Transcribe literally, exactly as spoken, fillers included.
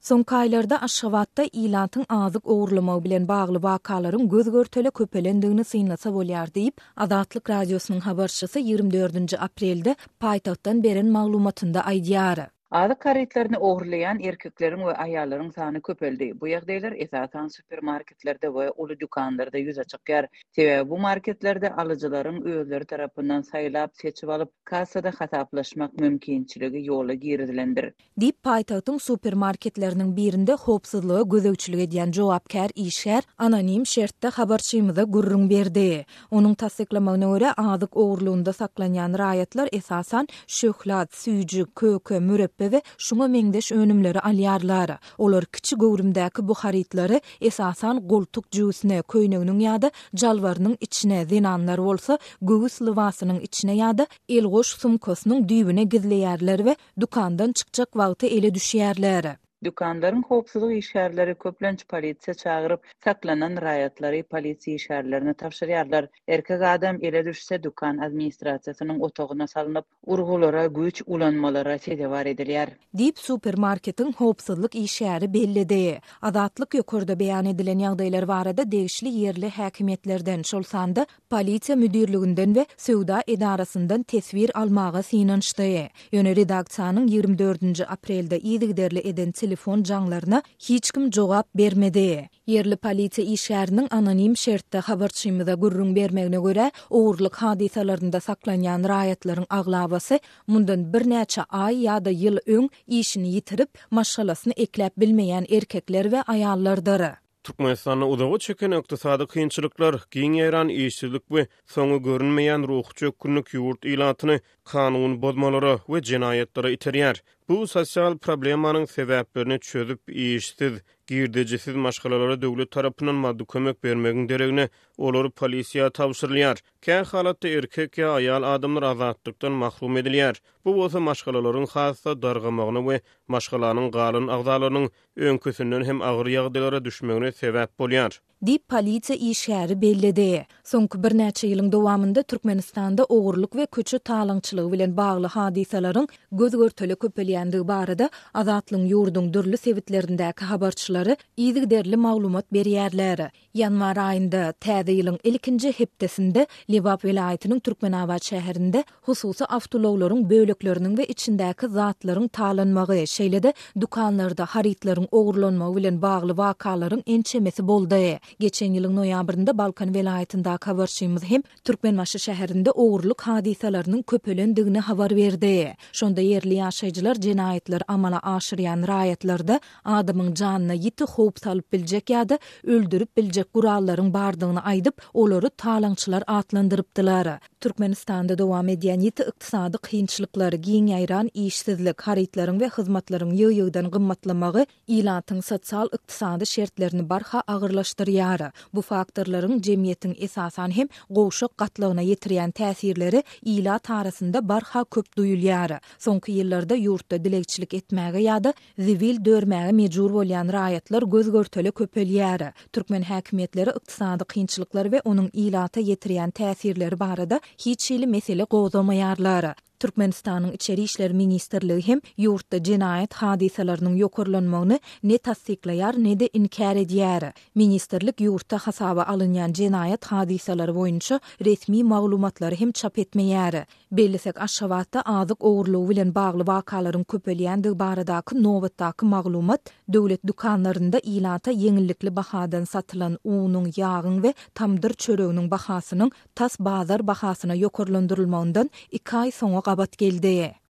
Soňky aýlarda Aşgabatda ilatyň azyk ogurlamagy bilen bagly wakalaryň göz-görtele köpelendigini synlasa bolýar diýip, Azatlyk Radiosynyň habarçysy ýigrimi dördünji aprelde paýtagtdan beren maglumatynda aýdýar. Azyk harytlaryny ogurlaýan erkekleriň we aýallaryň sany köpeldi. Bu ýagdaýlar esasan supermarketlerde we uly dükanlarda ýüze çykýar. Sebäbi bu marketlerde alyjylaryň özleri tarapyndan saýlap, seçip alyp, kassada hasaplaşmak mümkinçiligi ýola girizilendir. Diýip, paýtagtyň supermarketleriniň birinde howpsuzlyga gözegçilik edýän jogapkär işgär anonim şertde habarçymyza gürrüň berdi. Onuň tassyklamagyna görä, azyk ogurlygynda saklanýan raýatlar esasan şöhlat, süýji, köke, mürepbe we şuňa meňzeş önümleri alýarlar. Olar kiçi göwrümdäki bu harytlary esasan goltuk jübüsine, köýneginiň ýa-da jalbarynyň içine, zenanlar bolsa göwüs lybasynyň içine ýa-da elgoş sumkasynyň düýbüne gizleýärler we dükandan çykjak wagty ele düşýärler. Dükanlaryň howpsuzlyk işgärleri köplenç polisiýa çagyryp, saklanan raýatlary polisiýa işgärlerine tabşyrýarlar. Erkek adam ele düşse, dükan administrasiýasynyň otagyna salnyp, urgulara, güýç ulanmalara sezewar edilýär. Diýip, supermarketiň howpsuzlyk işgäri belledi. Azatlyk ýokarda beýan edilen ýagdaýlar barada degişli ýerli häkimiýetlerden, şol sanda polisiýa müdirliginden we söwda edarasyndan teswir almaga synanyşdy. Ýöne redaksiýanyň ýigrimi dördünji aprelde yzygiderli eden telefon jaňlaryna hiç kim jogap bermedi. Ýerli polisiýa işgäriniň anonim şertde habarçymyza gürrüň bermegine görä, ogurlyk hadysalarynda saklanýan raýatlaryň aglabasy mundan birnäçe aý ýa-da ýyl öň işini ýitirip, maşgalasyny ekläp bilmeýän erkekler we aýallardyr. Türkmenistanda uzaga çeken ykdysady kynçylyklar, giň ýaýran işsizlik we soňy görünmeýän ruhy çökgünlik ýurt ilatyny kanun bozmalara we jenaýatlara iterýär. Bu sosial problemanyň sebäplerini çözüp, işsiz, girdejisiz maşgalalara döwlet tarapyndan maddy kömek bermegiň deregine olar polisiýa tabşyrylýar. Kä halatda erkek ýa aýal adamlar azatlykdan mahrum edilýär. Bu bolsa maşgalalaryň has-da dargamagyna we maşgalanyň galan agzalarynyň öňküsinden hem agyr ýagdaýlara düşmegine sebäp bolýar. Diýip, polisiýa işgäri belledi. Soňky birnäçe ýylyň dowamynda Türkmenistanda ogurlyk we köçe talaňçylygy bilen bagly hadysalaryň göz-görtele köpelýändigi barada Azatlygyň ýurduň dürli sebitlerindäki habarçylary yzygiderli maglumat berýärler. Ýanwar aýynda, täze ýylyň ilkinji hepdesinde Lebap welaýatynyň Türkmenabat şäherinde hususy awtoulaglaryň bölekleriniň we içindäki zatlaryň talanmagy, şeýle-de dükanlarda harytlaryň ogurlanmagy bilen bagly wakalaryň ençemesi boldy. Geçen ýylyň noýabrynda Balkan welaýatyndaky habarçymyz hem Türkmenbaşy şäherinde ogurlyk hadysalarynyň köpelendigini habar berdi. Şonda ýerli ýaşaýjylar jenaýatlary amala aşyrýan raýatlarda adamyň janyna ýiti howp salyp biljek ýa-da öldürip biljek gurallaryň bardygyny aýdyp, olary talaňçylar atlandyrypdylar. Türkmenistanda dowam edýän ýiti ykdysady kynçylyklar, giň ýaýran işsizlik, harytlaryň we hyzmatlaryň ýygy-ýygydan gymmatlamagy ilatyň sosial-ykdysady şertlerini barha agyrlaşdyrýar. Bu faktorlaryň jemgyýetiň esasan hem gowşak gatlagyna ýetirýän täsirleri ilat arasynda barha köp duýulýar. Soňky ýyllarda ýurtda dilegçilik etmäge ýa-da zibil dörmäge mejbur bolýan raýatlar göz-görtele köpelýär. Türkmen häkimiýetleri ykdysady kynçylyklar we onuň ilata ýetirýän täsirleri barada hiç hili mesele gozgamaýarlar. Türkmenistanyň Içeri işler ministrligi hem ýurtda jenaýat hadysalarynyň ýokarlanmagyny ne tassyklaýar, ne-de inkär edýär. Ministrlik ýurtda hasaba alynýan jenaýat hadysalary boýunça resmi maglumatlary hem çap etmeýär. Bellesek, Aşgabatda azyk ogurlygy bilen bagly wakalaryň köpelýändigi baradaky nobatdaky maglumat döwlet dükanlarynda ilata ýeňillikli bahadan satylan unuň, ýagyň we tamdyr çöreginiň bahasynyň tas bazar bahasyna ýokarlandyrylmagyndan iki aý soňa gabat geldi.